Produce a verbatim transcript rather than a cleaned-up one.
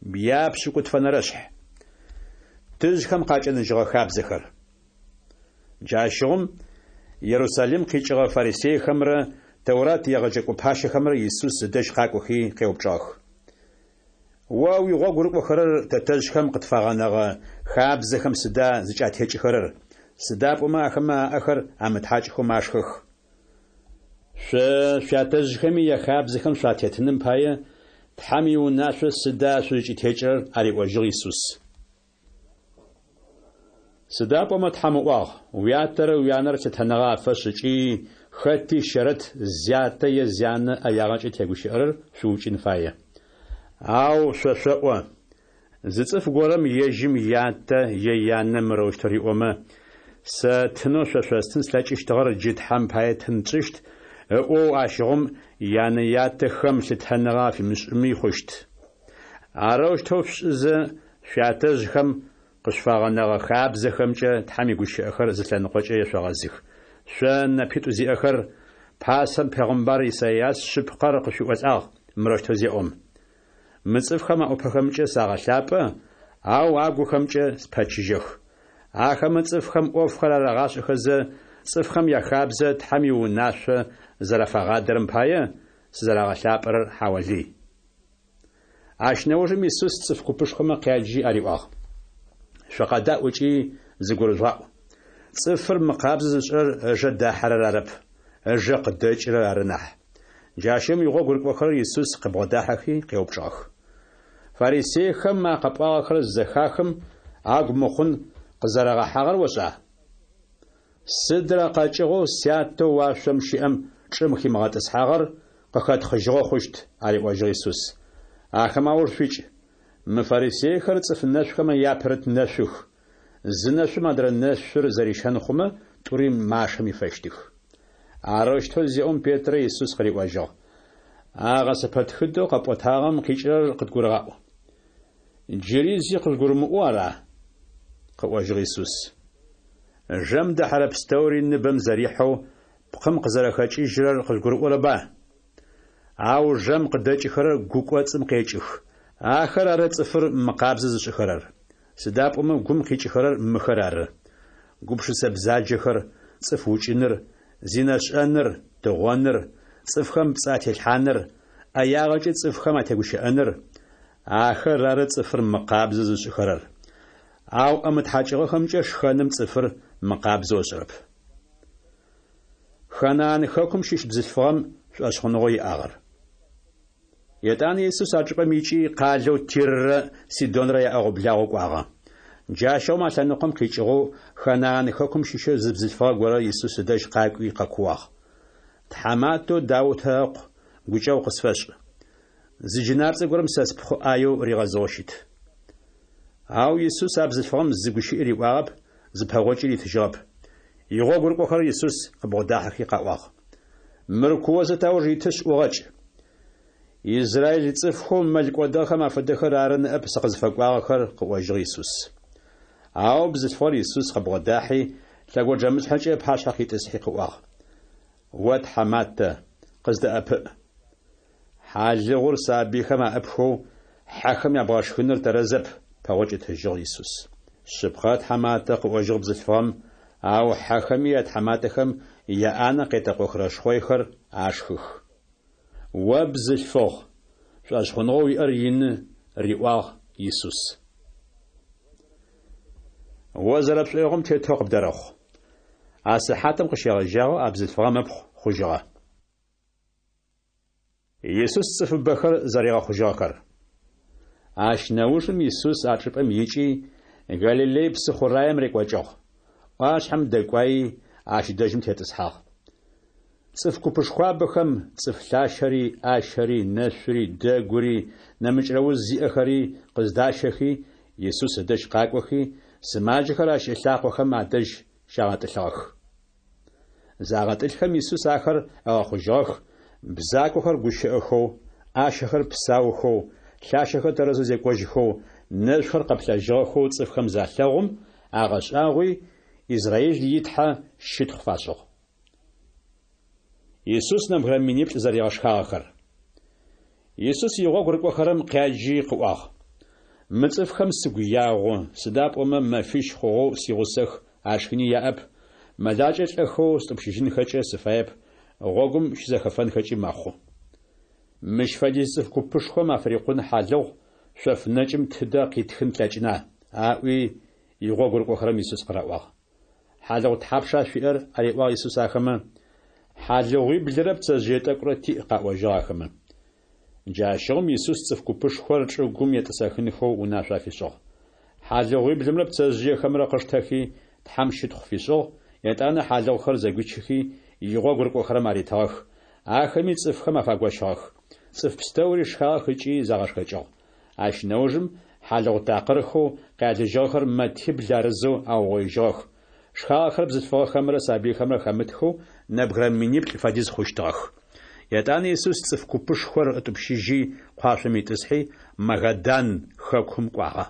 Япшӏыкӏутфэнэрэшъхь. Тыжъхэм къакӏэныжьыгъэ хабзэхэр. Джащыгъум Ерусалим къикӏыгъэ фарисейхэмрэ Тэурат егъэджэкӏо пащэхэмрэ Исус ыдэжь къакӏохи къеупчӏыгъэх: О уигъогу рыкӏохэрэр тэтэжъхэм къытфагъэнэгъэ хабзэхэм сыда зыкӏатекӏыхэрэр? Сыда пӏомэ ахэмэ аӏэхэр амытхьакӏхэу машхэх. Шъо шъуятэжъхэми яхабзэхэм шъуатетыным пае Тхьэм иунашъо сыда шъузкӏытекӏырэр? ариӏожьыгъ Исус. Сыда пӏомэ Тхьэм ыӏуагъ: «Уятэрэ уянэрэ лъытэныгъэ афэшӏ ыкӏи хэти щэрэт зятэ е зянэ ӏэягъэкӏэ тегущыӏэрэр шъуукӏын фае». Ау шъо шъоӏо: «Зы цӏыф горэм ежьым ятэ е янэ мырэущтэу риӏомэ: „Сэ тынэу шъо шъостын слъэкӏыщтыгъэр джы Тхьэм пае тын тшӏыщт“ ыӏоу, ащыгъум янэ-ятэхэм лъытэныгъэ афимышӏыми хъущт. Арэущтэу шъушӏызэ, шъуятэжъхэм къышъуфагъэнэгъэ хабзэхэмкӏэ Тхьэм игущыӏэхэр зы лъэныкъокӏэ ешъогъэзых. Шъо нэпитӏу зиӏэхэр, пасэм пегъымбар Исайас шъыпкъэр къышъуиӏолӏагъ, мырэущтэу зеӏом: «Мы цӏыфхэм аӏупэхэмкӏэ сагъэлъапӏэ, ау агухэмкӏэ спэчыжьэх. Ахэмэ цӏыфхэм ӏофхэр арагъашӏэхэзэ, цӏыфхэм яхабзэ Тхьэм иунашъо зэрафагъадэрэм пае, сызэрагъэлъапӏэрэр хьаолый». Ащ нэужым Исус цӏыф купышхомэ къяджи ариӏуагъ: Шъукъэдаӏу ыкӏи зыгурыжъугъаӏу. Цӏыфыр мыкъабзэ зышӏырэр ыжэ дахьэрэр арэп, ыжэ къыдэкӏырэр ары нахь. Джащыгъум игъогу рыкӏохэрэр Исус къыбгъодахьэхи къеупчӏыгъэх: Фарисейхэм а къэпӏуагъэхэр зызэхахым, агу мыхъун къызэрагъэхьагъэр ошӏа? Сыдрэ къэкӏыгъэу Сятэу уашъом щыӏэм чӏым химыгъэтӏысхьагъэр къыхэтхъыжьыгъэ хъущт, ариӏожьыгъ Исус. Ахэмэ ауж шъуикӏ. Мы фарисейхэр цӏыф нэшъухэмэ япэрыт нэшъух. Зы нэшъум адрэ нэшъур зэрищэн хъумэ, тӏури машэм ифэщтых. Арэущтэу зеӏом Петрэ Исус къыриӏожьыгъ: А гъэсэпэтхыдэу къэпӏотагъэм къикӏырэр къыдгурыгъаӏу. Джыри зи къыжъугурымыӏоу ара? Къыӏожьыгъ Исус. Жэм дэхьэрэ пстэури ныбэм зэрихьэу пкъым къызэрэхэкӏыжьырэр къыжъугурыӏорэба? Ау жэм къыдэкӏыхэрэр гу кӏоцӏым къекӏых. Ахэр ары цӏыфыр мыкъабзэ зышӏыхэрэр. Сыда пӏомэ гум къикӏыхэрэр мыхэр ары: гупшысэ бзаджэхэр, цӏыф укӏыныр, зинэшӏэныр, тыгъоныр, цӏыфхэм пцӏы ателъхьаныр, ӏэягъэкӏэ цӏыфхэм атегущыӏэныр. Ахэр ары цӏыфыр мыкъабзэ зышӏыхэрэр. Ау ӏэ мытхьакӏыгъэхэмкӏэ шхэным цӏыфыр мыкъабзэу ышӏырэп. Ханаан хэкум щыщ бзылъфыгъэм шӏошъхъуныгъэу иӏагъэр. Етӏанэ Исус а чӏыпӏэм икӏи къалэу Тиррэ Сидонрэ яӏэгъо-благъо кӏуагъэ. Джащыгъум а лъэныкъом къикӏыгъэу Ханаан хэкум щыщэу зы бзылъфыгъэ горэ Исус ыдэжь къакӏуи къэкууагъ: Тхьаматэу Даутэ ыкъу, гукӏэгъу къысфэшӏ. Зы джынапцӏэ горэм сэ спхъу ӏаеу ригъэзыгъэу щыт. Ау Исус а бзылъфыгъэм зы гущыӏи риӏуагъэп, зы пэгъокӏи ритыжьыгъэп. Игъогу рыкӏохэрэр Исус къыбгъодахьэхи къаӏуагъ: Мыр куозэ тауж итышъ ӏугъэкӏ. Израиль цӏыфхэу мэл кӏодыгъэхэм афэдэхэр ары ныӏэп сыкъызфэкӏуагъэхэр, къыӏожьыгъ Исус. Ау бзылъфыгъэр Исус къыбгъодахьи, лъэгоджэмышъхьэкӏэ ыпашъхьэ къитӏысхьи къыӏуагъ: О тхьаматэ, къыздэӏэпыӏ. Хьалыгъур сабыйхэм аӏыпхэу хьэхэм ябгъэшхыныр тэрэзэп, пэгъокӏ ытыжьыгъ Исус. Шъыпкъэ, тхьаматэ, къыӏожьыгъ бзылъфыгъэм, ау хьэхэми ятхьаматэхэм яӏанэ къетэкъохырэ шхъойхэр ашхых. О бзылъфыгъ, шӏошъхъуныгъэу уиӏэр ины, риӏуагъ Исус. О зэрэпшӏоигъом тетэу къыбдэрэхъу. А сыхьатым къыщегъэжьагъэу а бзылъфыгъэм ыпхъу хъужьыгъэ. Исус цӏыфыбэхэр зэригъэхъужьыгъэхэр. Ащ нэужым Исус а чӏыпӏэм икӏи, Галилей псыхъураем рекӏокӏыгъ. ӏуашъхьэм дэкӏуаи, ащ дэжьым тетӏысхьагъ. Цӏыф купышхуабэхэм цӏыф лъащэри, ӏащэри, нэшъури, дэгури, нэмыкӏрэ уз зиӏэхэри къыздащэхи, Исус ыдэжь къакӏохи, сымаджэхэр ащ ылъакъохэм адэжь щагъэтӏылъыгъэх. Загъэтӏылъхэм Исус ахэр ыгъэхъужьыгъэх, бзакохэр гущыӏэхэу, ӏащэхэр псаухэу, лъащэхэр тэрэзэу зекӏожьхэу, нэшъухэр къэплъэжьыгъэхэу цӏыфхэм залъэгъум, агъэшӏагъуи, Израиль и Тхьэ щытхъу фашӏыгъ. Исус нэбгырэ миниплӏ зэригъэшхагъэхэр. Исус игъогу рыкӏохэрэм къяджи къыӏуагъ: Мы цӏыфхэм сыгу ягъу, сыда пӏомэ мэфищ хъугъэу сигъусэх, ашхыни яӏэп. Мэлакӏэ лӏэхэу стӏупщыжьынхэкӏэ сыфаеп, гъогум щызэхэфэнхэкӏи мэхъу. Мыщ фэдиз цӏыф купышхом афырикъун хьалыгъу шъоф нэкӏым тыдэ къитхын тлъэкӏына? аӏуи, игъогу рыкӏохэрэм Исус къыраӏуагъ. Хьалыгъу тхьапша шъуиӏэр? ариӏуагъ Исус ахэмэ. Хьалыгъуиблырэ пцэжъые тӏэкӏурэ тиӏ, къаӏожьыгъ ахэмэ. Джащыгъум Исус цӏыф купышхор чӏыгум етӏысэхынхэу унашъо афишӏыгъ. Хьалыгъуиблымрэ пцэжъыехэмрэ къыштэхи, Тхьэм щытхъу фишӏыгъ, етӏанэ хьалыгъухэр зэгуичыхи, игъогу рыкӏохэрэм аритыгъэх. Ахэми цӏыфхэм афагощыгъэх. Цӏыф пстэури шхагъэх ыкӏи загъэшхэкӏыгъ. Ащ нэужым хьалыгъу такъырхэу къялыжьыгъэхэр мэтибл арызэу аугъоижьыгъэх. Шхагъэхэр бзылъфыгъэхэмрэ сабыйхэмрэ хэмытхэу нэбгырэ миниплӏ фэдиз хъущтыгъэх. Етӏанэ Исус цӏыф купышхор ытӏупщыжьи, къуашъом итӏысхьи, Магадан хэкум кӏуагъэ.